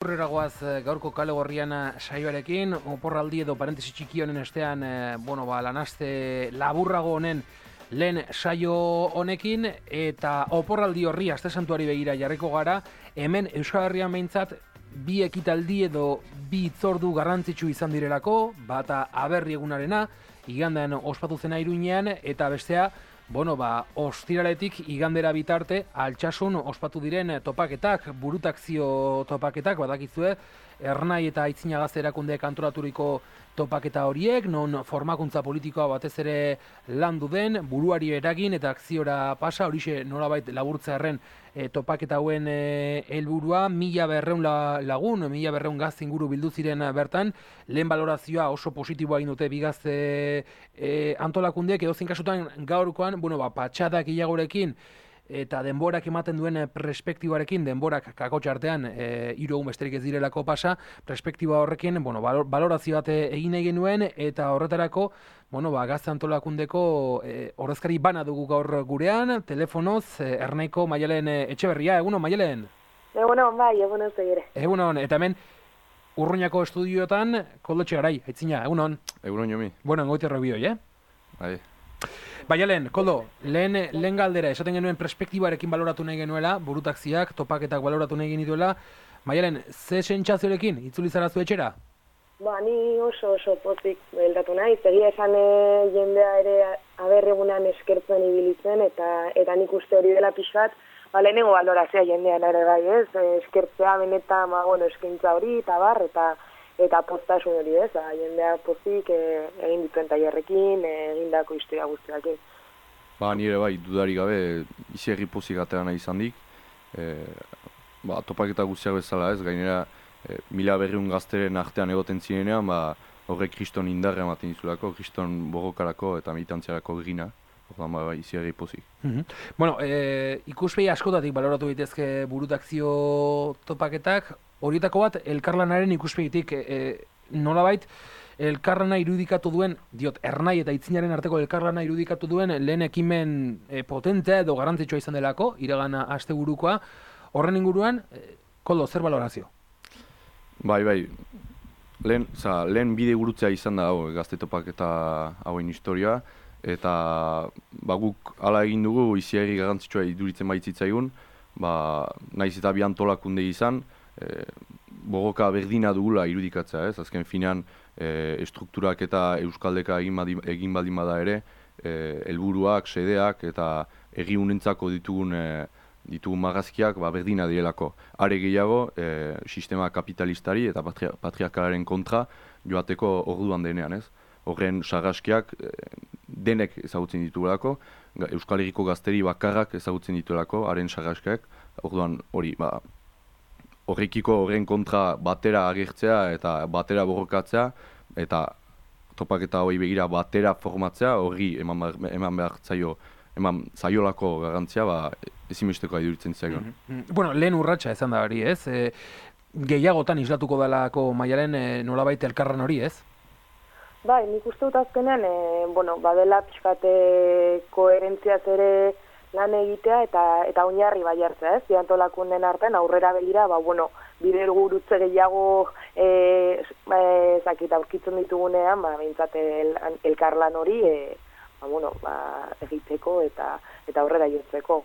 Aurrera goaz gaurko kale gorrian saioarekin, oporraldi edo parentesi txiki honen estean, lanaste laburrago honen lehen saio honekin, eta oporraldi horri aste santuari begira jarriko gara, hemen Euskal Herrian behintzat bi ekitaldi edo bi hitzordu garrantzitsu izan direlako, bata aberri egunarena, igandean ospatu zena Iruinean, eta bestea, ostiraletik igandera bitarte Altsasun ospatu diren topaketak, burutakzio topaketak, badakizue, Ernai eta Aitzinagazte erakundeek antolaturiko topaketa horiek, non formakuntza politikoa batez ere landu den, buruari eragin eta akziora pasa, horixe nolabait laburtzearren topaketa hauen helburua, 1200 lagun, 1200 gazte inguru bildu ziren bertan, lehen balorazioa oso positiboa egin dute bigazte antolakundeek, edozein kasutan gaurkoan, patxadak gehiagorekin eta denborak ematen duen perspektibarekin, denborak kakotxartean 3 egun besterik ez direlako pasa, perspektiba horrekin, balorazio bat egin nahi genuen, eta horretarako, gazte antolakundeko ordezkari bana dugu gaur gurean, telefonoz, Ernaiko Maialen Etxeberria, egunon Maialen? Egunon, bai, egunon zegire. Egunon, eta hemen, Urruñako estudioetan, Koldo Etxegarai, Aitzina, egunon? Egunon jomi. Engoite errebioi, Bai. Lehen, Koldo, lehen galdera, esaten genuen perspektibarekin baloratu nahi genuela, burutakziak, topaketak baloratu nahi genituela. Maialen, ze sentsazioarekin itzuli zara zu etxera? Ni oso pozik beldatu nahi, egia esan jendea ere aberregunan eskertzen ibilitzen, eta nik uste hori dela pixat, lehenengo balorazioa jendean ere bai, ez? Eskertzea benetan, eskaintza hori, eta bar, eta postasun hori, ez? Jendea pozik egin dituen tailerrekin, egindako historia guztiakin. Nire bai, dudari gabe, izi pozik aterana izan dik. Topaketa guztiak bezala ez, gainera 1200 gazteren artean egoten zirenean, horrek kriston indarra ematen dizulako, kriston borrokarako eta militantziarako gina. Izi pozik. Ikuspegi askotatik baloratu daitezke burutakzio topaketak, horietako bat, elkarlanaren ikuspegitik nolabait, elkarlana irudikatu duen, Ernai eta Aitzinaren arteko elkarlana irudikatu duen lehen ekimen potentea edo garrantzitsua izan delako, iragan asteburukoa, horren inguruan, Koldo, zer balorazio? Bai, lehen bide gurutzea izan da gazte topaketa hauen historia, eta guk hala egin dugu iziari garrantzitsua iduritzen baitzitzaigun, naiz eta bi antolakunde izan, borroka berdina dugula irudikatzea, ez? Azken finean estrukturak eta euskaldeka egin baldin bada ere, helburuak, sedeak eta herri unentzako ditugun marrazkiak berdina direlako. Are gehiago, sistema kapitalistari eta patriarkalaren kontra joateko orduan denean, ez? Horren sarraskiak denek ezagutzen dituelako, Euskal Herriko gazteri bakarrak ezagutzen dituelako, haren sarraskiak, orduan hori, horrekiko horren kontra batera agertzea eta batera borrokatzea, eta topaketa hori begira batera formatzea, horri eman behar zaio, eman zaiolako garrantzia, ezinbesteko iduritzen zaion. Lehen urratsa izan da hori, ez? Gehiagotan islatuko dalako Maialen nolabait elkarran hori, ez? Bai, nik uste dut azkenean, badela pixkate koherentziaz ere lan egitea eta oinarri bai hartzea, ez? Antolakunden artean aurrera begira, bide gurutze gehiago aurkitzen ditugunean, behintzat elkarlan hori egiteko eta aurrera jotzeko.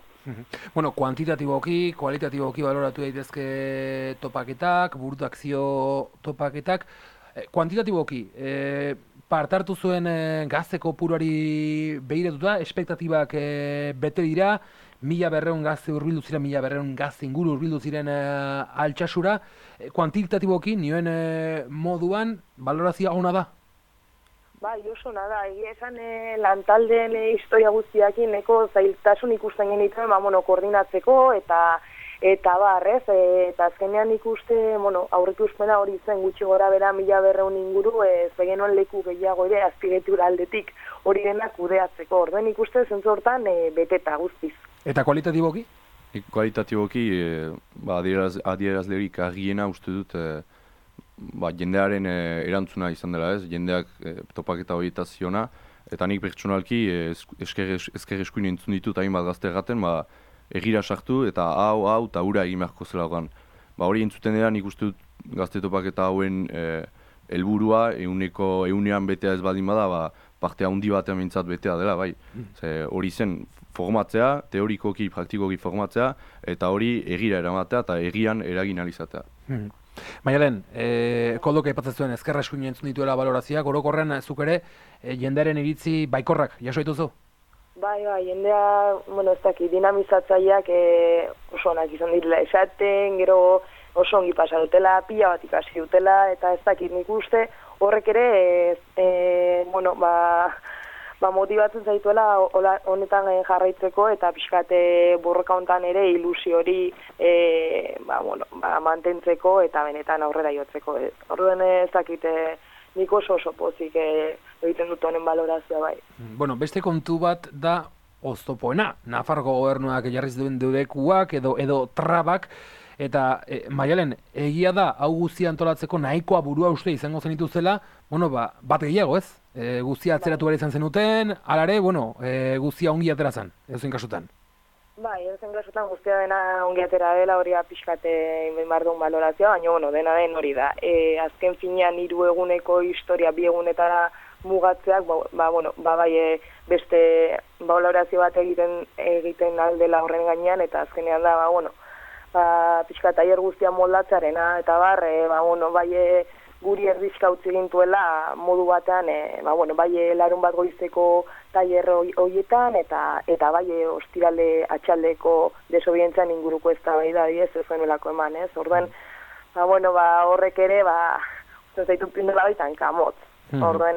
Kuantitatiboki, kualitatiboki baloratu daitezke topaketak, burutakzio topaketak. Kuantitatiboki, partartu zuen gazte kopuruari begiratuta, espektatibak bete dira, 1200 gazte hurbildu ziren, 1200 gazte inguru hurbildu ziren Altsasura. Kuantitatiboki, nioen moduan, balorazioa ona da? Bai, oso nada, egia esan lantaldeen historia guztiakin neko zailtasun ikusten genituen, koordinatzeko eta barrez, eta azkenean ikuste, aurrikuspena hori zen gutxi gora bera 1200 inguru, zegenuen leku gehiago ere azpigetura aldetik hori denak kudeatzeko. Orduen ikuste zentzu hortan beteta guztiz. Eta kualitatiboki? Kualitatiboki, adierazlerik argiena uste dut, jendearen erantzuna izan dela, ez? Jendeak topaketa horietaz ziona, eta nik pertsonalki ezker eskuin entzun ditut hainbat gazte erraten, egira sartu eta hau eta hura egin beharko zela orduan. hori entzuten dira nik uste dut Gazte Topaketa hauen helburua ehunean betea ez baldin bada, parte handi batean mintzat betea dela, bai. Hori zen formatzea, teorikoki, praktikoki formatzea, eta hori egira eramatea eta egian eragin alizatea. Maialen, Koldok aipatzen zuen ezkerra eskuin entzun dituela balorazioak, orokorrean zuk ere jendearen iritzi baikorrak jaso dituzu? Bai, jendea, ez dakit, dinamizatzaileak oso onak izan direla esaten, gero oso ongi pasa dutela, pila bat ikasi dutela, eta ez dakit nik uste horrek ere, motibatzen zaituela honetan jarraitzeko eta pixkate borroka honetan ere ilusio hori mantentzeko eta benetan aurrera jotzeko. Orduen ez dakit nik oso pozik egiten dut honen balorazioa bai. Beste kontu bat da oztopoena. Nafarroko gobernuak jarriz duen deudekuak edo trabak. Eta, Maialen, egia da, hau guztia antolatzeko nahikoa burua uste izango zenituzela, bat gehiago ez? Guztia atzeratu behar izan zenuten, alare, guztia ongi atera zen, edozein kasutan. Bai, edozein kasutan guztia dena ongi atera dela, hori pixkate inbardun balorazioa, baina, dena den hori da. Azken finean 3 eguneko historia 2 egunetara mugatzeak, beste balorazio bat egiten aldela horren gainean, eta azkenean da, pixka tailer guztia moldatzearena, eta guri erdizka utzi gintuela modu batean, larun bat goizeko tailer horietan, eta ostirale atxaldeko desobedientzian inguruko eztabaida ez zuenelako eman, ez? Orduen, horrek ere, zaitu pindela baitan kamotz. Orduen,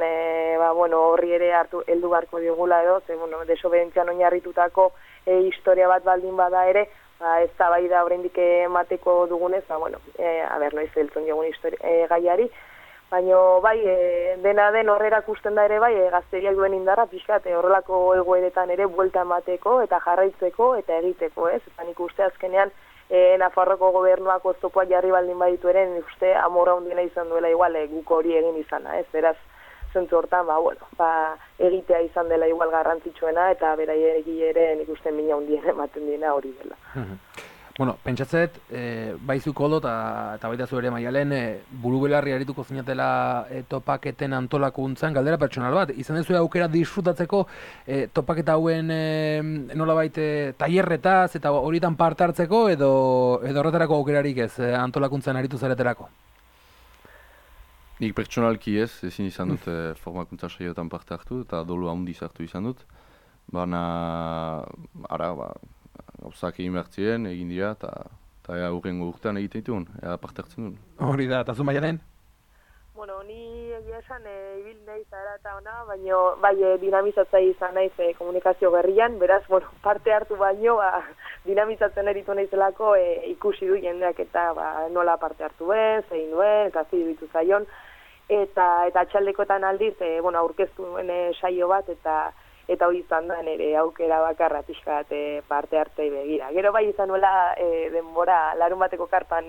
horri ere heldu beharko diogula edo, desobedientzian oinarritutako historia bat baldin bada ere, ez da bai da oraindik emateko dugunez, noiz heltzen diogun gaiari, baina dena den horrera ikusten da ere gazteriak duen indarra pixkat horrelako egoeretan ere buelta emateko eta jarraitzeko eta egiteko, ez? Eta nik uste azkenean Nafarroko gobernuak oztopoak jarri baldin baditu ere, nik uste amorra hundiena izan duela igual guk hori egin izana, ez? Beraz, zentzu hortan, egitea izan dela igual garrantzitsuena eta beraiegi ere nik uste mina hundien ematen diena hori dela. Pentsatzet, baizu Koldo eta baita zu ere Maialen, buru belarri arituko zinatela topaketen antolakuntzan, galdera pertsonal bat, izan dezu aukera disfrutatzeko topaketa hauen nolabait tailerretaz eta horietan parte hartzeko edo horretarako aukerarik ez antolakuntzan aritu zareterako? Nik pertsonalki ezin izan dut formakuntza saioetan parte hartu eta dolu handiz hartu izan dut. Baina, gauzak egin behar ziren, egin dira, eta hurrengo urtean egiten dituen, parte hartzen duen. Hori da, eta zu Maialen? Ni egia esan ibil nahi zara eta ona, baina dinamizatzaile izan naiz komunikazio berrian, beraz, parte hartu baino, dinamizatzen eritu naizelako ikusi du jendeak eta nola parte hartu ben, zein duen, eta ziditu zaion, eta atxaldekoetan aldiz, aurkeztu duen saio bat, eta hori izan da nire aukera bakarra pixka bat parte hartzei begira. Gero izan nuela denbora larun bateko karpan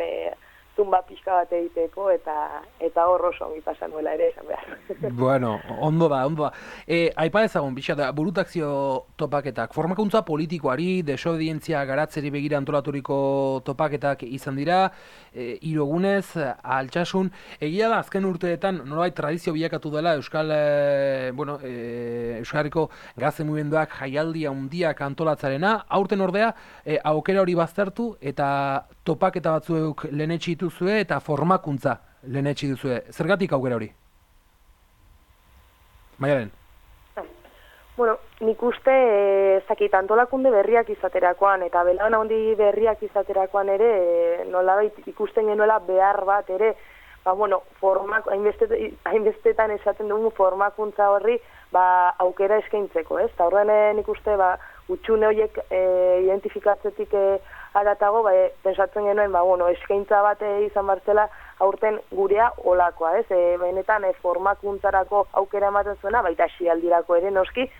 zumba pixka bat egiteko eta hor oso ongi pasan nuela ere esan behar. Ondo da. Aipa ezagun, burutakzio topaketak, formakuntza politikoari, desobedientzia garatzeri begira antolaturiko topaketak izan dira, 3 egunez, Altsasun, egia da azken urteetan nolabait tradizio bilakatu dela Euskal Herriko gazte mugimenduak jaialdi handiak antolatzarena, aurten ordea aukera hori baztertu eta topaketa batzuek lehenetsi dituzue eta formakuntza lehenetsi duzue. Zergatik aukera hori? Maialen? Nik uste antolakunde berriak izaterakoan eta belauna handi berriak izaterakoan ere nolabait ikusten genuela behar bat ere hainbestetan esaten dugu formakuntza horri aukera eskaintzeko, ez? Eta horren nik uste utxune horiek identifikatzetik aratago, pensatzen genuen, eskaintza bat izan bartzela aurten gurea olakoa, ez? Benetan formakuntzarako aukera ematen zuena, baita asialdirako ere noski,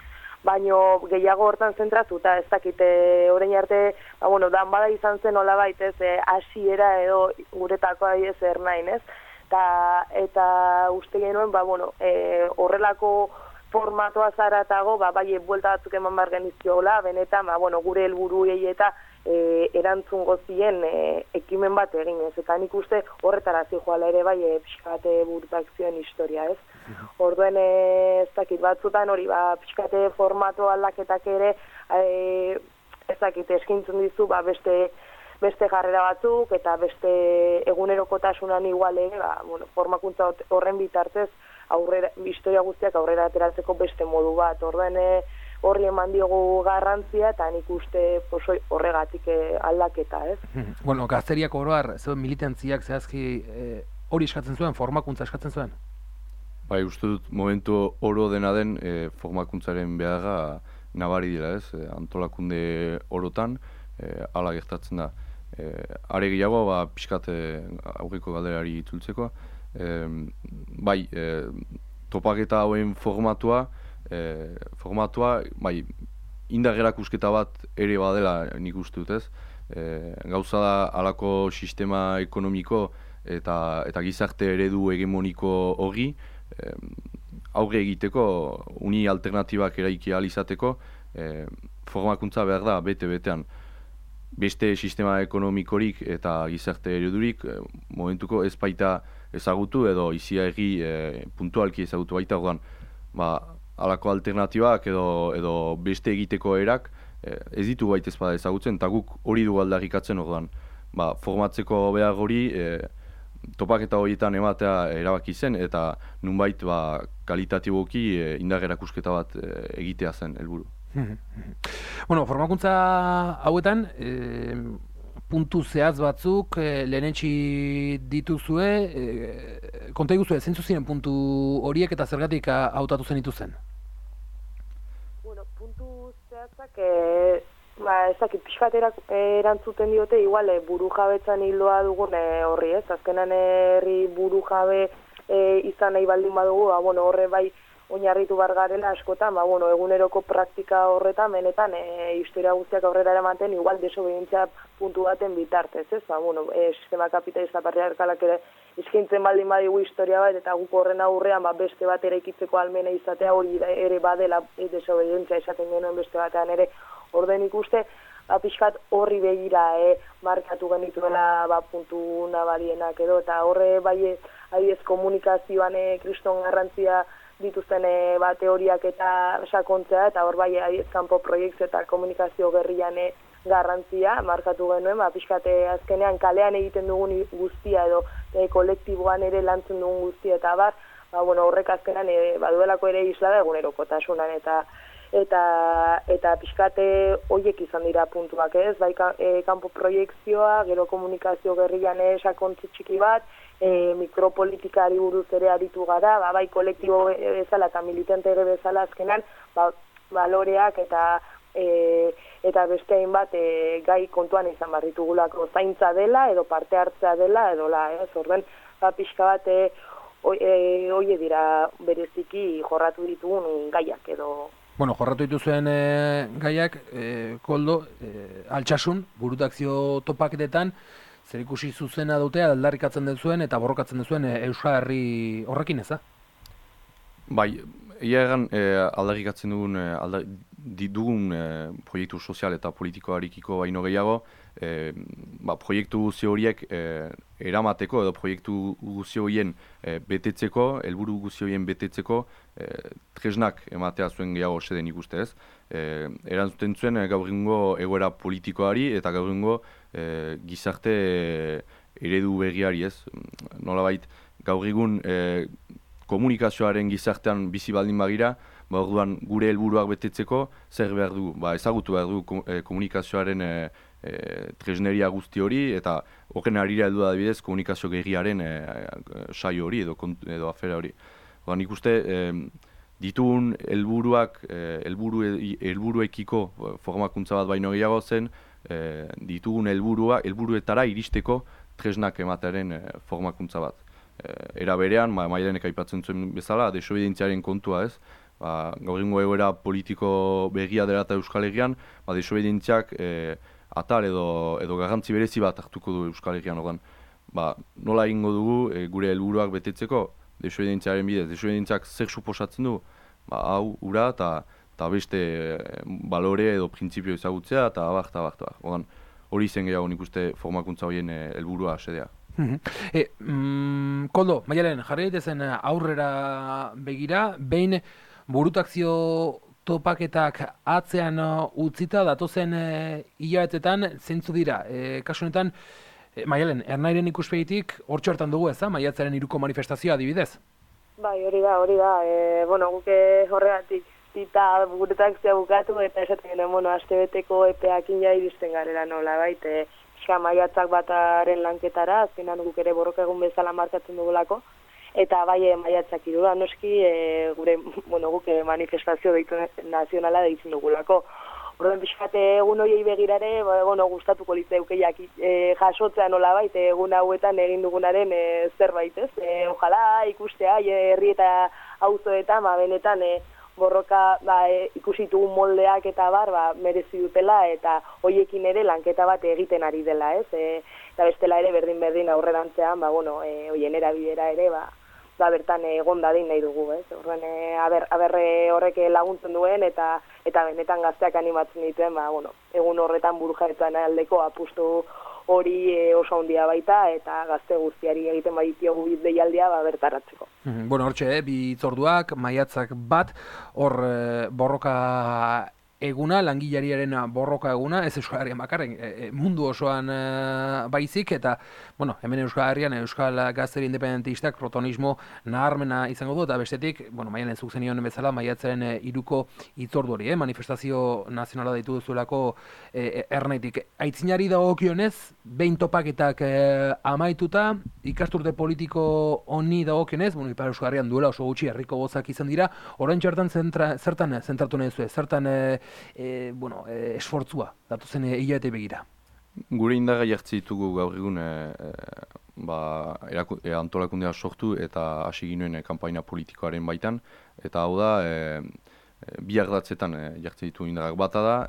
baino gehiago hortan zentratu, eta ez dakite orain arte, dan bada izan zen olabait, ez, hasiera edo guretakoa ez ernain, ez? Eta uste genuen, horrelako formatoa zaratago, buelta batzuk eman behar genizkiola, benetan, gure helburuei eta erantzun gozien ekimen bat egin, ez? Eta nik uste horretara zijoala ere bai pixkate burutakzioen historia, ez? Orduen ez dakit batzutan hori, pixkate formato aldaketak ere, ez dakit eskintzen dizu, beste jarrera batzuk eta beste egunerokotasunan igual ere, formakuntza horren bitartez historia guztiak aurrera ateratzeko beste modu bat. Orduen horri eman diogu garrantzia eta nik uste horregatik aldaketa, ez? Bueno, gazteriak oroar, zeuen militantziak zehazki hori eskatzen zuen, formakuntza eskatzen zuen? Bai, uste dut momentu oro dena den formakuntzaren beharra nabari dira, ez? Antolakunde orotan hala gertatzen da. Are gehiago, pixkat aurreko galderari itzultzeko, bai, topaketa hauen formatua, bai, indar erakusketa bat ere badela nik uste dut, ez? Gauza da halako sistema ekonomiko eta gizarte eredu hegemoniko hori aurre egiteko, uni alternatibak eraiki ahal izateko, formakuntza behar da bete-betean. Beste sistema ekonomikorik eta gizarte eredurik momentuko ez baita ezagutu edo iziarri puntualki ezagutu baita, orduan, halako alternatibak edo beste egiteko erak ez ditu baita ezpada ezagutzen, eta guk hori du aldarrikatzen, orduan, formatzeko behar hori topaketa horietan ematea erabaki zen, eta nunbait kalitatiboki indar erakusketa bat egitea zen helburu. Bueno, formakuntza hauetan puntu zehaz batzuk lehenetsi dituzue, konta iguzue, zeintzu ziren puntu horiek eta zergatik hautatu zen ituzen? Bueno, puntu zehazak ez dakit pixkat erantzuten diote, igual buru jabetzan hildoa dugun horri, ez? Azkenan herri buru jabe izan nahi baldin badugu, horre bai oinarritu bar garela askotan, eguneroko praktika horretan, benetan historia guztiak aurrera eramaten, igual desobedientzia puntu baten bitartez, ez? Sistema kapitalista patriarkalak ere eskaintzen baldin badigu historia bat, eta guk horren aurrean beste bat eraikitzeko almena izatea hori ere badela desobedientzia esaten genuen beste batean ere. Orden ikuste, pixkat horri begira markatu genituela puntu nabarienak edo, eta horre bai adibidez komunikazioan kriston garrantzia dituzten teoriak eta sakontzea, eta hor bai kanpo proiektu eta komunikazio gerrian garrantzia markatu genuen, pixkat azkenean kalean egiten dugun guztia edo kolektiboan ere lantzen dugun guztia, eta horrek azkenean baduelako ere isla da egunerokotasunan, eta pixkate horiek izan dira puntuak, ez? Bai kanpo proiekzioa, gero komunikazio gerrian sakontzi txiki bat, mikropolitikari buruz ere aritu gara, bai kolektibo bezala eta militante ere bezala azkenan, baloreak eta beste hainbat gai kontuan izan barritugulako zaintza dela edo parte hartzea dela edo ez? Orden, pixka bat hoie dira bereziki jorratu ditugun gaiak edo. Bueno, jorratu dituzuen gaiak, Koldo, altsasun, burutakzio topaketetan, zer ikusi zuzena dute aldarrikatzen duzuen eta borrokatzen duzuen Euskal Herri horrekin, ez da? Bai, egia egan aldarrikatzen dugun proiektu sozial eta politikoarikiko baino gehiago, proiektu guzi horiek eramateko edo proiektu guzi horien betetzeko, helburu guzi horien betetzeko tresnak ematea zuen gehiago seden ikuste, ez? Erantzuten zuen gaur egungo egoera politikoari eta gaur egungo gizarte eredu berriari, ez? Nolabait gaur egun komunikazioaren gizartean bizi baldin bagira, orduan gure helburuak betetzeko zer behar du, ezagutu behar du komunikazioaren tresneria guzti hori, eta horren harira heldu da adibidez komunikazio gerriaren saio hori edo afera hori. Nik uste ditugun helburuekiko formakuntza bat baino gehiago zen, ditugun helburuetara iristeko tresnak ematearen formakuntza bat. Era berean, Mailenek aipatzen zuen bezala, desobedientziaren kontua, ez? Gaur egungo egoera politiko berria dela eta Euskal Herrian, desobedientziak atal edo garrantzi berezi bat hartuko du Euskal Herrian, ordan. Nola egingo dugu gure helburuak betetzeko desobedientziaren bidez? Desobedientziak zer suposatzen du? Hau, ura eta beste balore edo printzipio ezagutzea eta abar. Ordan, hori zen gehiago nik uste formakuntza horien helburua xedea. Koldo, Maialen, jarri daitezen aurrera begira, behin burutakzio topaketak atzean utzita datozen hilabetetan zeintzu dira. Kasu honetan, Maialen, Ernairen ikuspegitik hortxo hartan dugu ez da, maiatzaren 3ko manifestazioa adibidez? Bai, hori da. Guke horregatik zita burutakzioa bukatu eta esaten genen, astebeteko epeakin ja iristen garela nola, baita. Maiatzak bataren lanketara, azkenan guk ere borroka egun bezala markatzen dugulako, eta bai maiatzak 3 noski guk manifestazio deitu nazionala deitzen dugulako. Orduan pixkat egun horiei begirare, gustatuko litzaukeiak jasotzea nola baita egun hauetan egin dugunaren zerbait, ez? Ojala ikustea herri eta auzoetan benetan borroka ikusi ditugun moldeak eta merezi dutela eta hoiekin ere lanketa bat egiten ari dela, ez? Eta bestela ere berdin aurrerantzean, hoien erabidera ere, bertan egon dadin nahi dugu, ez? Horren, horrek laguntzen duen eta benetan gazteak animatzen dituen, egun horretan burujabetuan aldeko apustu hori oso handia baita eta gazte guztiari egiten baditiogu deialdia bertaratzeko. Hortxe, bi hitzorduak, maiatzak bat, hor borroka eguna, langilariaren borroka eguna, ez Euskal Herrian bakarren, mundu osoan baizik, eta, hemen Euskal Herrian, Euskal Gazteri Independentistak protagonismo naharmena izango du, eta bestetik, Maialen zuk zenion bezala, maiatzaren 3ko hitzordu hori, manifestazio nazionala deitu duzuelako Ernaitik. Aitzinari dagokionez, behin topaketak amaituta, ikasturte politiko honi dagokionez, Ipar Euskal Herrian duela oso gutxi herriko bozak izan dira, orain txartan zertan zentratu nahi zuen, zertan esfortzua datuzen hilabete begira. Gure indarra jartzi ditugu gaur egun antolakundea sortu eta hasi ginuen kanpaina politikoaren baitan, eta hau da bi ardatzetan jartzi ditu indarrak. Bata da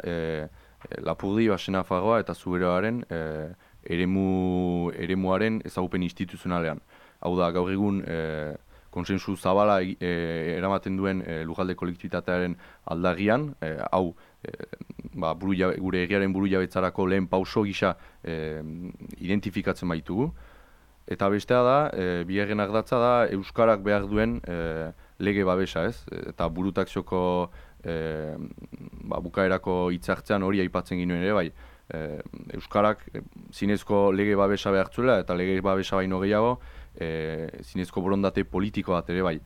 Lapurdi, Basenafarroa eta Zuberoaren eremuaren ezagupen instituzionalean. Hau da gaur egun konsensu zabala eramaten duen lujalde kolektibitatearen aldarrian, hau gure egiaren burujabetzarako lehen pauso gisa identifikatzen baitugu. Eta bestea da, bigarren ardatza da, Euskarak behar duen lege babesa, ez? Eta burutakzioko bukaerako hitzartzean hori aipatzen ginuen ere, bai. Euskarak zinezko lege babesa behar zuela, eta lege babesa baino gehiago, zinezko borondate politiko bat ere bai.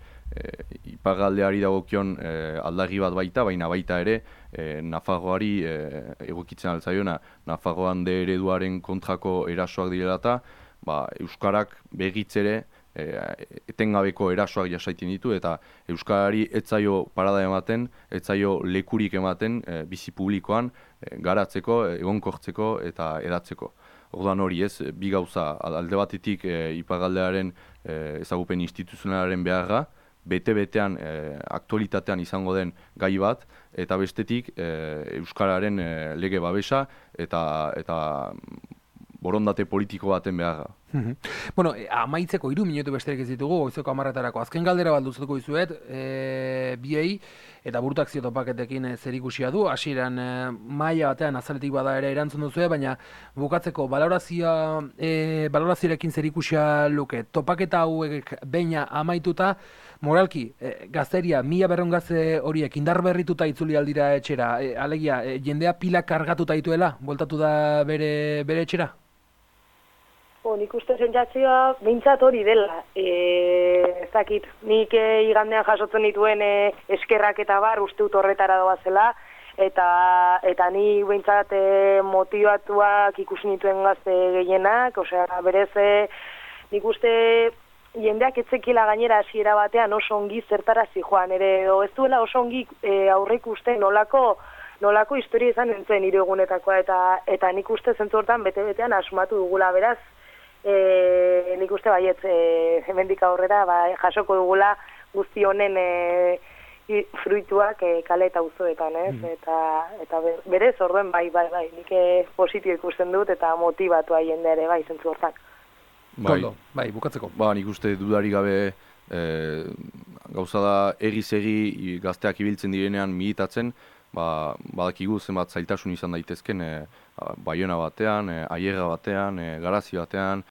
Iparraldeari dagokion aldarri bat baita, baina baita ere Nafarroari egokitzen altzaiona, Nafarroan de ereduaren kontrako erasoak direla eta Euskarak berriz ere etengabeko erasoak jasaiten ditu eta Euskarari etzaio parada ematen, etzaio lekurik ematen bizi publikoan garatzeko, egonkortzeko eta edatzeko. Orduan hori ez, bi gauza, alde batetik iparraldearen ezagupen instituzionalaren beharra, bete-betean aktualitatean izango den gai bat, eta bestetik Euskararen lege babesa eta borondate politiko baten beharra. Amaitzeko 3 minutu besterik ez ditugu, goizeko 10:00-etarako. Azken galdera bat luzatuko dizuet, biei, eta burutakzio topaketekin zerikusia du, hasieran maila batean azaletik bada ere erantzun duzue, baina bukatzeko balorazioarekin zerikusia luke. Topaketa hauek beina amaituta, moralki, gazteria, 1200 gazte horiek indar berrituta itzuli aldira etxera, alegia, jendea pila kargatuta dituela, bueltatu da bere etxera? Nik uste sentsazioa behintzat hori dela. Ez dakit, nik igandean jasotzen dituen eskerrak eta uste dut horretara doazela, eta ni behintzat motivatuak ikusi nituen gazte gehienak, berez nik uste jendeak etzekila gainera hasiera batean oso ongi zertarazi joan ere, edo ez duela oso ongi aurreik uste nolako historia izan nintzen nire egunetakoa, eta nik uste zentzu hortan bete-betean asumatu dugula, beraz, nik uste baietz hemendik aurrera jasoko dugula guzti honen fruituak kale eta auzoetan, ez? Eta berez orduen bai, nik positio ikusten dut eta motibatua jende ere bai zentzu hortan. Bai, bukatzeko. Nik uste dudari gabe gauza da egi gazteak ibiltzen direnean militatzen, badakigu zenbat zailtasun izan daitezken Baiona batean, Aierra batean, Garazi batean,